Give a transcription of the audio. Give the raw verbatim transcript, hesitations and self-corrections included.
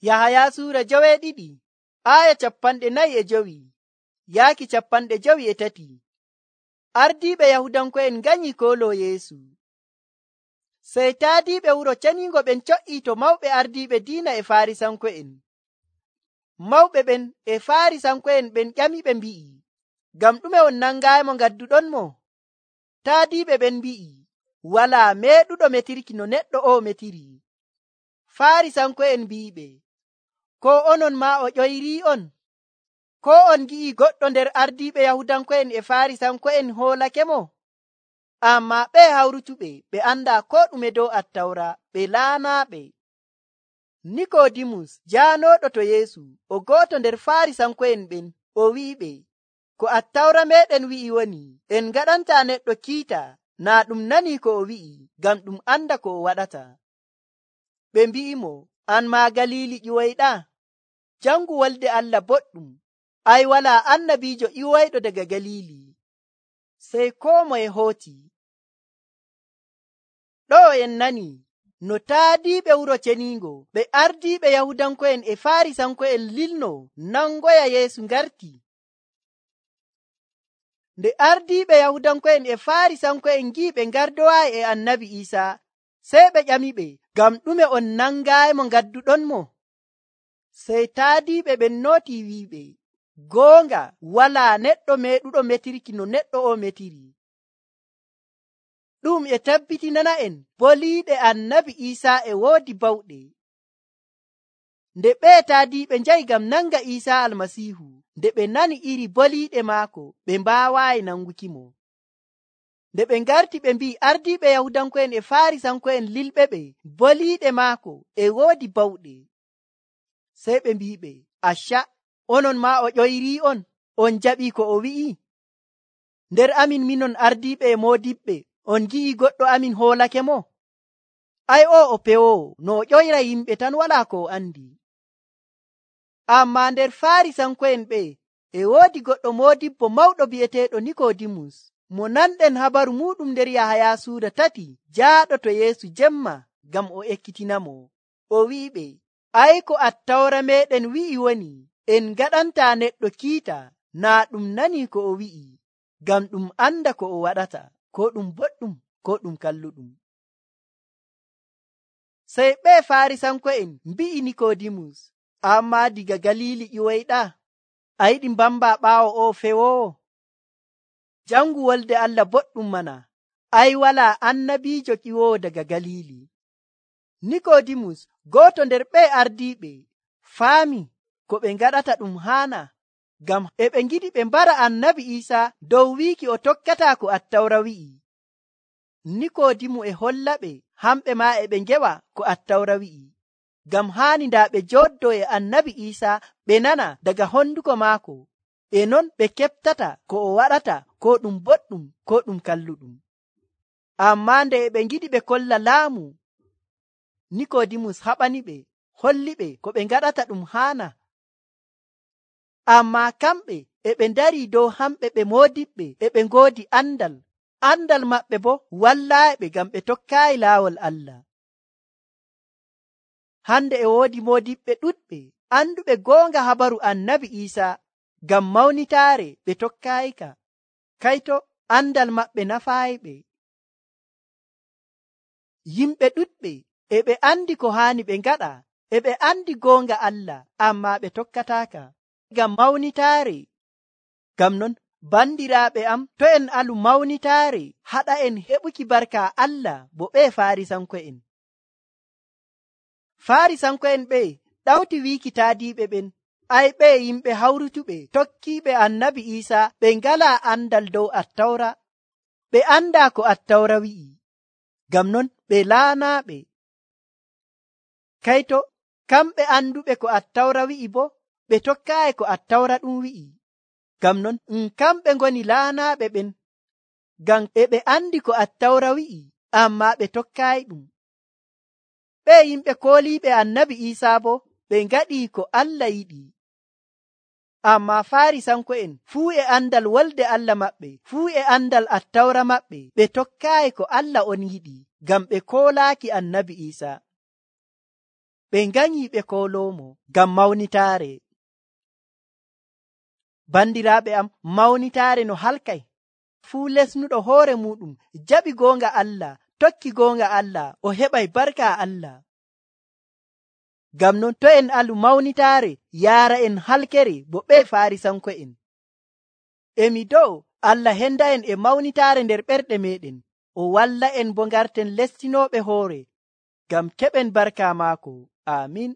Yahaya suura joweeɗiɗi aya capanɗe nayi e jowi yaaki capanɗe jowi e tati. Ardiiɓe Yahudanko'en nganyi kooloo Yeesu. Sey taadiiɓe wuro ceniingo ɓen co''ii to mawɓe ardiiɓe diina e Faarisanko'en. Mawɓe ɓen e Faarisanko'en ɓen ƴamiɓe mbi'i, ngam ɗume on nangaayimo ngadduɗonmo? Taadiiɓe ɓen mbi'i, walaa meeɗuɗo metirki no neɗɗo o'o metiri. Faarisanko'en mbi'iɓe, koo onon maa o ƴoyrii'on? Koo on ngi'ii goɗɗo nder ardiiɓe Yahudanko'en e Faarisanko'en hoolakemo? Ammaa ɓe hawrutuɓe ɓe andaa koo ɗume dow Attawra, ɓe laanaaɓe. Nikoodimus jaanooɗo to Yeesu, o go'oto nder Faarisanko'en ɓen, o wi'iɓe, ko Attawra meeɗen wi'i woni, en ngaɗantaa neɗɗo kiita naa ɗum nanii ko o wi'i, ngam ɗum anda ko o waɗata. Ɓe mbi'imo, an maa Galiili ƴiwoyɗaa? Jangu wolde Allah boɗɗum. Ay, walaa annabiijo ƴiwoyɗo daga Galiili. Sey koo moye hooti. Ɗo en nani no taadiiɓe wuro ceniingo ɓe ardiiɓe Yahudanko'en e Faarisanko'en lilno nangoya Yeesu ngarti. Nde ardiiɓe Yahudanko'en e Faarisanko'en ngi'i ɓe ngardowaayi e Annabi Iisaa, sey ɓe ƴamiɓe, ngam ɗume on nangaayimo ngadduɗonmo? Sey taadiiɓe ɓen nootii wi'iɓe, goonga walaa neɗɗo meeɗuɗo metirki no neɗɗo o metiri. Ɗum e tabbitinana'en boliiɗe Annabi Iisaa e woodi bawɗe. Nde ɓee taadiiɓe njahi ngam nanga Iisaa Almasiihu, nde ɓe nani iri boliiɗe maako, ɓe mbaawaayi nangukimo. Nde ɓe ngarti ɓe mbi'i ardiiɓe Yahudanko'en e Faarisanko'en lilɓe ɓe boliiɗe maako e woodi bawɗe. Sey ɓe mbi'iɓe, acca, onon maa o ƴoyrii'on, on jaɓii ko o wi'i? Nder amin minon ardiiɓe e moodiɓɓe, on ngi'ii goɗɗo amin hoolakemo? Ay, o o pewoowo, no o ƴoyra yimɓe tan walaa ko o andi. Ammaa nder Faarisanko'en ɓe e woodi goɗɗo moodibbo mawɗo bi'eteeɗo Nikoodimus, mo nanɗen habaru muuɗum nder Yahaya suura tati, jaaɗo to Yeesu jemma ngam o ekkitinamo. O wi'iɓe, ay, ko Attawra meeɗen wi'i woni, en ngaɗantaa neɗɗo kiita naa ɗum nanii ko o wi'i, ngam ɗum anda ko o waɗata, ko ɗum boɗɗum, ko ɗum kalluɗum. Sey ɓe Faarisanko'en mbi'i Nikoodimus, ammaa diga Galiili ƴiwoyɗaa? A yiɗi mbamba ɓaawo o fewoowo? Jangu wolde Allah boɗɗum mana. Ay, walaa annabiijo ƴiwoowo daga Galiili. Nikoodimus, gooto nder ɓe ardiiɓe, faami ko ɓe ngaɗata ɗum haana, ngam e ɓe ngiɗi ɓe mbara Annabi Iisaa dow wiiki o tokkataa ko Attawra wi'i. Nikoodimu e hollaɓe hamɓe maa e ɓe ngewa ko Attawra wi'i, ngam haani ndaa ɓe jooddoo e Annabi Iisaa ɓe nana daga honduko maako, e non ɓe keɓtata ko o waɗata, ko ɗum boɗɗum, ko ɗum kalluɗum. Ammaa nde e ɓe ngiɗi ɓe kolla laamu, Nikoodimus haɓaniɓe, holliɓe ko ɓe ngaɗata ɗum haana. Ammaa kamɓe e ɓe ndarii dow hamɓe ɓe moodiɓɓe e ɓe ngoodi andal. Andal maɓɓe bo wallaayiɓe ngam ɓe tokkaayi laawol Allah. Hande e woodi moodiɓɓe ɗuɗɓe anduɓe goonga habaru Annabi Iisaa, ngam mawnitaare ɓe tokkaayika. Kayto andal maɓɓe nafaayiɓe. Yimɓe ɗuɗɓe e ɓe andi ko haani ɓe ngaɗa, e ɓe andi goonga Allah, ammaa ɓe tokkataaka ngam mawnitaare. Ngam non, bandiraaɓe am, to en alu mawnitaare haɗa en heɓuki barka Allah bo ɓe Faarisanko'en. Faarisanko'en ɓe ɗawti wiiki taadiiɓe ɓen, ay, ɓe yimɓe hawrutuɓe tokkiiɓe Annabi Iisaa ɓe ngalaa andal dow Attawra, ɓe andaa ko Attawra wi'i, ngam non ɓe laanaaɓe. Kayto kamɓe anduɓe ko Attawra wi'i bo ɓe tokkaayi ko Attawra ɗum wi'i, ngam non um kamɓe ngoni laanaaɓe ɓen, ngam e ɓe andi ko Attawra wi'i, ammaa ɓe tokkaayi ɗum. Ɓe yimɓe kooliiɓe Annabi Iisaa bo ɓe ngaɗii ko Allah yiɗi. Ammaa Faarisanko'en fuu e andal wolde Allah maɓɓe, fuu e andal Attawra maɓɓe, ɓe tokkaayi ko Allah on yiɗi, ngam ɓe koolaaki Annabi Iisaa. ɓe nganyi ɓe koloomo ngam mawnitaare. Bandiraaɓe am, mawnitaare no halkay. Fuu lesnuɗo hoore muɗum jaɓi goonga Allah, tokki goonga Allah, o heɓay barka Allah. Ngam non to en alu mawnitaare yaara en halkere bo ɓe Faarisanko'en. Emi do'o Allah henda en e mawnitaare nder ɓerɗe meɗen, o walla en bo ngarten lestinooɓe hoore ngam keɓen barka maako. Aamin.